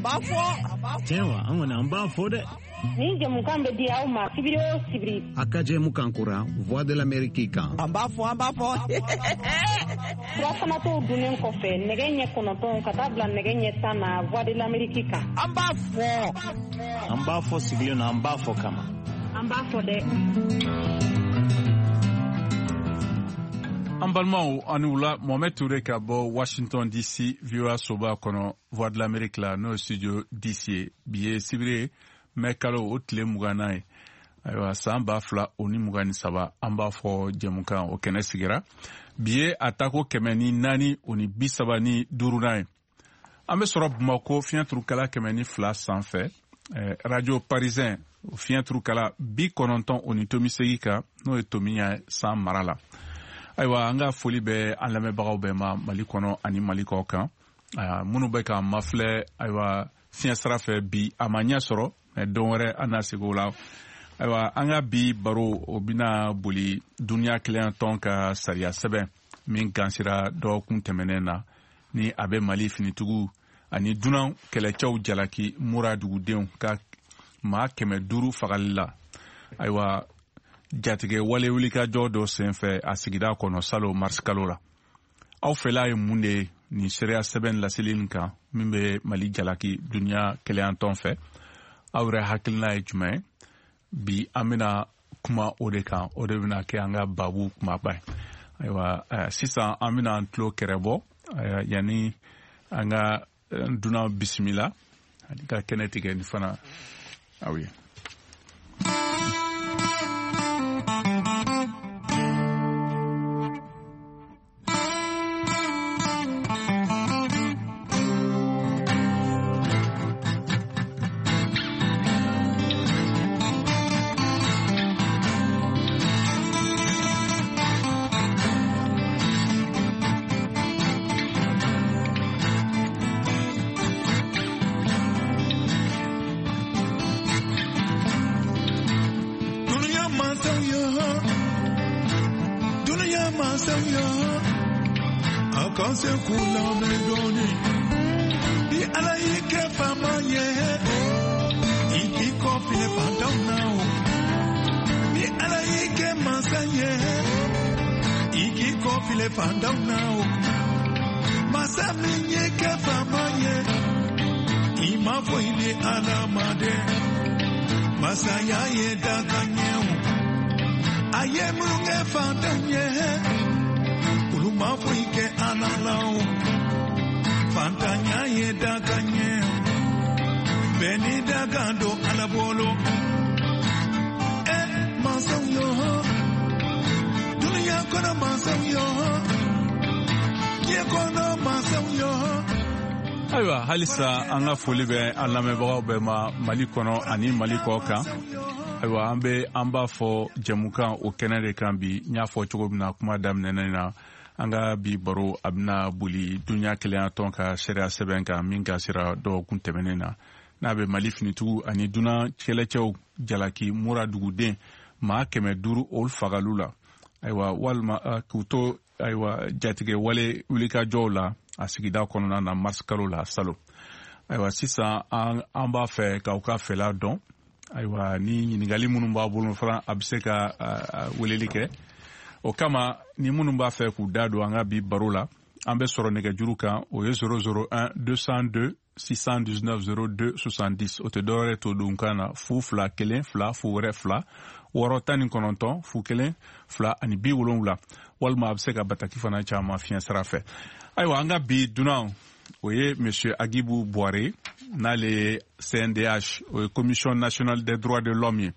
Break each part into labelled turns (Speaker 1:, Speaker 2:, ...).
Speaker 1: An b'a fɔ.
Speaker 2: Tiɲɛ wa, an kɔni an b'a fɔ dɛ.
Speaker 3: Nin jɛmukan bɛ di aw ma sibiri o sibiri.
Speaker 4: A ka jɛmukan kura Voix de l'Amérique kan.
Speaker 1: An b'a fɔ, an b'a fɔ.
Speaker 3: Surafanatɔw dunnen kɔfɛ nɛgɛ ɲɛ 9 ka taa bila nɛgɛ ɲɛ 10 na Voix de l'Amérique kan.
Speaker 1: An b'a fɔ.
Speaker 2: An b'a fɔ sigilen na, an b'a fɔ kama.
Speaker 3: An b'a fɔ dɛ.
Speaker 5: An balimaw, ani wula. Mohamed Toure ka bɔ Washington DC, VOA soba kɔnɔ, Voix de l'Amérique la, n'o ye studio DC ye. Bi ye sibiri ye, mɛ kalo o tile 20nan ye, ayiwa, san 2023. An b'a fɔ jɛmukan o kɛnɛ sigira. Bi ye a tako 435nan ye. An bɛ sɔrɔ Bamako fiɲɛ turukala 102 sanfɛ, Radio Parisien fiɲɛ turukala 90.8 kan, n'o ye Tomiya san mara la. Ayiwa, an ka foli bɛ an lamɛnbagaw bɛɛ ma Mali kɔnɔ ani Mali kɔ kan, minnu bɛ k'an mafilɛ. Ayiwa, fiɲɛ sira fɛ bi a ma ɲɛ sɔrɔ, mɛ don wɛrɛ an na segin o la. Ayiwa, an ka bi baro o bɛna boli duniya kelenya tɔn ka sariya sɛbɛn min gansira dɔgɔkun tɛmɛnen na, ni a bɛ Mali finitigiw ani dunan kɛlɛcɛw jalaki Mura dugudenw ka maa 500 fagali la, ayiwa, jatigɛ wale wulikajɔ dɔ senfɛ a sigida kɔnɔ salo marisi kalo la. Aw fɛla ye mun de ye nin sariya sɛbɛn laseli nin kan min bɛ Mali jalaki duniya kelenya tɔn fɛ? Aw yɛrɛ hakilina ye jumɛn ye? Bi an bɛna kuma o de kan, o de bɛna kɛ an ka babu kumaba ye. Ayiwa, sisan an bɛna an tulo kɛrɛ bɔ yanni an ka dunan bisimila ani ka kɛnɛ tigɛ ni fana aw ye.
Speaker 6: Dunuya mansaw yo, dunuya mansaw yo, a kan se k'u lamɛn dɔɔni. Ni Ala y'i kɛ faama ye, i k'i kɔfilɛ fantanw na o. Ni Ala y'i kɛ mansa ye, i k'i kɔfilɛ fantanw na o. Masa min y'i kɛ faama ye, i ma foyi di Ala ma dɛ. Masaya ye dakan ye o. A ye minnu kɛ fantanw ye, olu ma foyi kɛ Ala la o. Fantanya ye dakan ye o. Bɛɛ ni dakan don Ala bolo. Ɛ mansaw yo, dunuya kɔnɔ mansaw yo, diɲɛ kɔnɔ mansaw yo.
Speaker 5: Ayiwa, halisa an ka foli bɛ an lamɛnbagaw bɛɛ ma Mali kɔnɔ ani Mali kɔ kan. Ayiwa, an bɛ an b'a fɔ jɛmukan o kɛnɛ de kan bi. N y'a fɔ cogo min na kuma daminɛnen na, an ka bi baro a bɛna boli duniya kelenya tɔn ka sariya sɛbɛn kan min gasira dɔgɔkun tɛmɛnen na, n'a bɛ Mali finitigiw ani dunan kɛlɛcɛw jalaki Mura duguden maa 500 olu fagaliw la, ayiwa, walima k'u to, ayiwa, jatigɛ wale wulikajɔw la a sigida kɔnɔna na mars kalo la salo. Ayiwa, sisan an b'a fɛ k'aw ka fɛla dɔn. Ayiwa, ni ɲininkali minnu b'a bolo fana, a bɛ se ka weleli kɛ o kama. Ni minnu b'a fɛ k'u da don an ka bi baro la, an bɛ sɔrɔ nɛgɛjuru kan, o ye 001 202 619 02 70. O tɛ dɔwɛrɛ to don kan na, 0 2 1 2 0 wɛrɛ 2 6 19 0 1 2 ani 70, walima a bɛ se ka bataki fana caman fiɲɛ sira fɛ. Ayiwa, an ka bi dunan o ye monsieur Aguibou Bouaré, n'ale ye CNDH, o ye Commission nationale des droits de l'homme ye.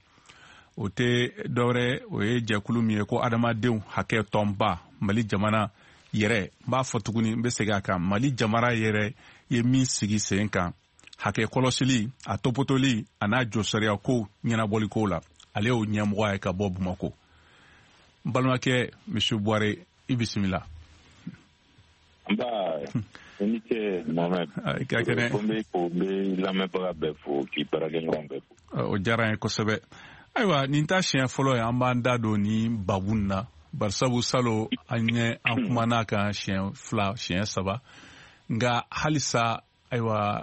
Speaker 5: O tɛ dɔwɛrɛ, o ye jɛkulu min ye ko adamadenw hakɛ tɔnba Mali jamana yɛrɛ. N b'a fɔ tuguni, n bɛ segin a kan, Mali jamana yɛrɛ ye min sigi sen kan hakɛ kɔlɔsili, a topotoli, a n'a jɔsariya kow ɲɛnabɔliko la, ale y'o ɲɛmɔgɔ ye ka bɔ Bamako. N balimakɛ monsieur Bouaré, i bisimila.
Speaker 7: Nba, i ni ce Mohamed.
Speaker 5: I ka kɛnɛ.
Speaker 7: Ko n bɛ fo, n bɛ lamɛnbaga bɛɛ fo, k'i baarakɛɲɔgɔn bɛɛ fo.
Speaker 5: O diyara n ye kosɛbɛ. Ayiwa, nin ta siɲɛ fɔlɔ ye an b'an da don nin babu nin na, barisabu salo an ye an kumana kan siɲɛ 2, siɲɛ 3, nka halisa, ayiwa.